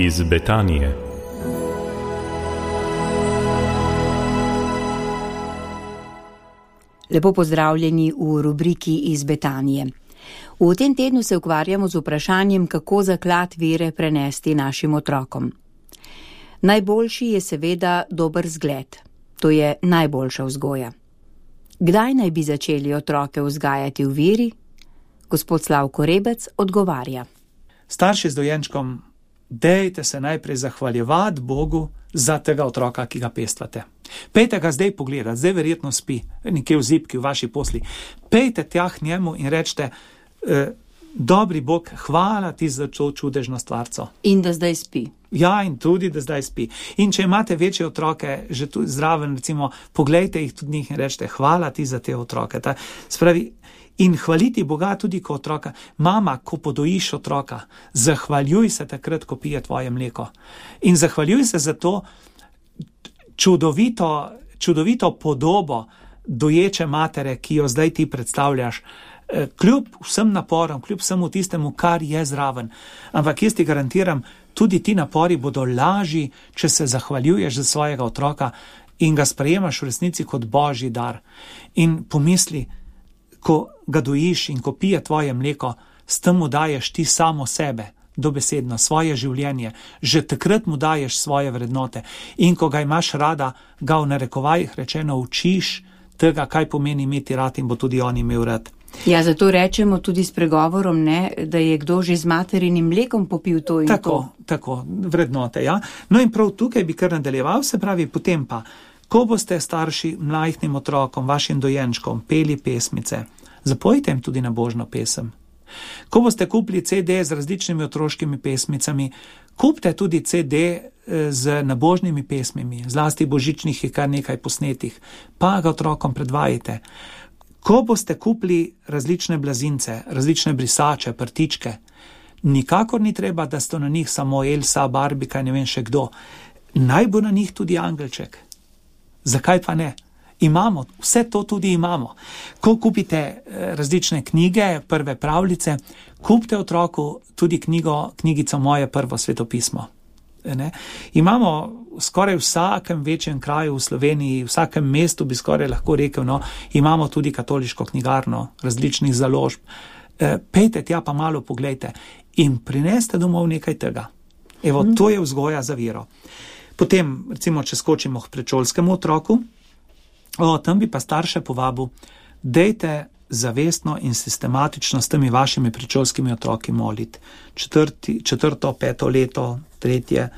Iz Betanije. Lepo pozdravljeni v rubriki Iz Betanije. V tem tednu se ukvarjamo z vprašanjem, kako zaklad vere prenesti našim otrokom. Najboljši je seveda dober zgled. To je najboljša vzgoja. Kdaj naj bi začeli otroke vzgajati v veri? Gospod Slavko Rebec odgovarja. Starši z dojenčkom, dejte se najprej zahvaljevati Bogu za tega otroka, ki ga pestvate. Pejte ga zdaj pogledati, zdaj verjetno spi, nekje v zibki, v vaši posli. Pejte tja k njemu in rečete, dobri Bog, hvala ti za to čudežno stvarco. In da zdaj spi. Ja, in tudi, da zdaj spi. In če imate večje otroke, že tu zraven, recimo, poglejte jih tudi njih in rečete, hvala ti za te otroke. Spravi, in hvaliti Boga tudi kot otroka. Mama, ko podojiš otroka, zahvaljuj se takrat, ko pije tvoje mleko. In zahvaljuj se za to čudovito podobo doječe matere, ki jo zdaj ti predstavljaš, kljub vsem naporom, kljub vsemu tistemu, kar je zraven. Ampak jaz ti garantiram, tudi ti napori bodo lažji, če se zahvaljuješ za svojega otroka in ga sprejemaš v resnici kot božji dar. In pomisli, ko ga dojiš in ko pije tvoje mleko, s tem mu daješ ti samo sebe, dobesedno, svoje življenje, že takrat mu daješ svoje vrednote. In ko ga imaš rada, ga v narekovajih rečeno učiš tega, kaj pomeni imeti rad in bo tudi on imel rad. Ja, zato rečemo tudi s pregovorom, ne, da je kdo že z materinim mlekom popil to in to. Tako, vrednote, ja. No in prav tukaj bi kar nadaljeval, se pravi, potem pa, ko boste starši mlajhnim otrokom, vašim dojenčkom, peli pesmice, zapojite jim tudi nabožno pesem. Ko boste kupili CD z različnimi otroškimi pesmicami, kupite tudi CD z nabožnimi pesmimi, zlasti božičnih je kar nekaj posnetih, pa ga otrokom predvajite. Ko boste kupili različne blazince, različne brisače, prtičke, nikakor ni treba, da sto na njih samo Elsa, Barbika, ne vem še kdo. Naj bo na njih tudi angelček. Zakaj pa ne? Imamo, vse to tudi imamo. Ko kupite različne knjige, prve pravljice, kupite otroku tudi knjigico Moje prvo svetopismo. Ne? Imamo skoraj v vsakem večjem kraju v Sloveniji, v vsakem mestu bi skoraj lahko rekel, no, imamo tudi katoliško knjigarno, različnih založb. Pejte tja pa malo poglejte in prineste domov nekaj tega. Evo, to je vzgoja za vero. Potem, recimo, če skočimo k predšolskemu otroku, tam bi pa starše povabil, dejte zavestno in sistematično s temi vašimi predšolskimi otroki moliti. Četrto, peto leto, tretje.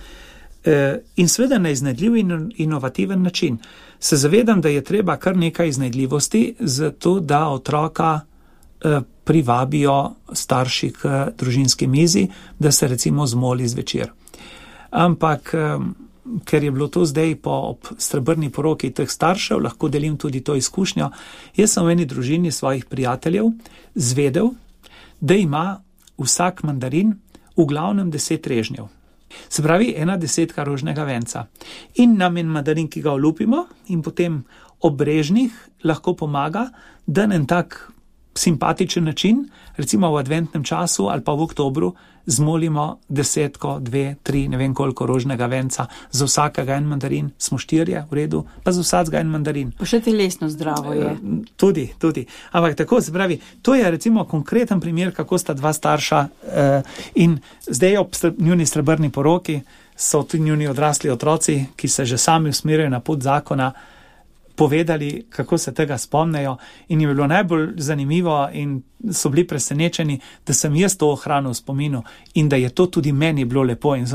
In seveda na iznajdljiv in inovativen način. Se zavedam, da je treba kar nekaj iznajdljivosti, zato da otroka privabijo starši k družinski mizi, da se recimo zmoli zvečer. Ampak ker je bilo to zdaj ob srebrni poroki teh staršev, lahko delim tudi to izkušnjo. Jaz sem v eni družini svojih prijateljev zvedel, da ima vsak mandarin v glavnem 10 režnjev. Se pravi, 1/10 rožnega venca. In nam en mandarin, ki ga olupimo in potem ob režnih lahko pomaga, da na en tak simpatičen način, recimo v adventnem času ali pa v oktobru, zmolimo 10, 2, 3, ne vem koliko rožnega venca, za vsakega en mandarin, smo 4, v redu, pa za vsakega en mandarin. Pa še telesno zdravo je. Tudi. Ampak tako, se pravi, to je recimo konkreten primer, kako sta dva starša in zdaj ob njuni srebrni poroki so tudi njuni odrasli otroci, ki se že sami usmerjajo na pot zakona, povedali, kako se tega spomnejo in jim je bilo najbolj zanimivo in so bili presenečeni, da sem jaz to ohranil v spominu in da je to tudi meni bilo lepo. In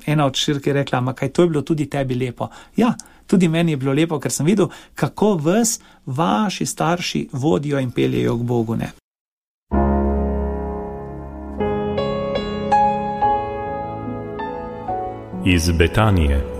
ena od hčerk je rekla, ma kaj to je bilo tudi tebi lepo. Ja, tudi meni je bilo lepo, ker sem videl, kako vas vaši starši vodijo in peljejo k Bogu, ne. Iz Betanije.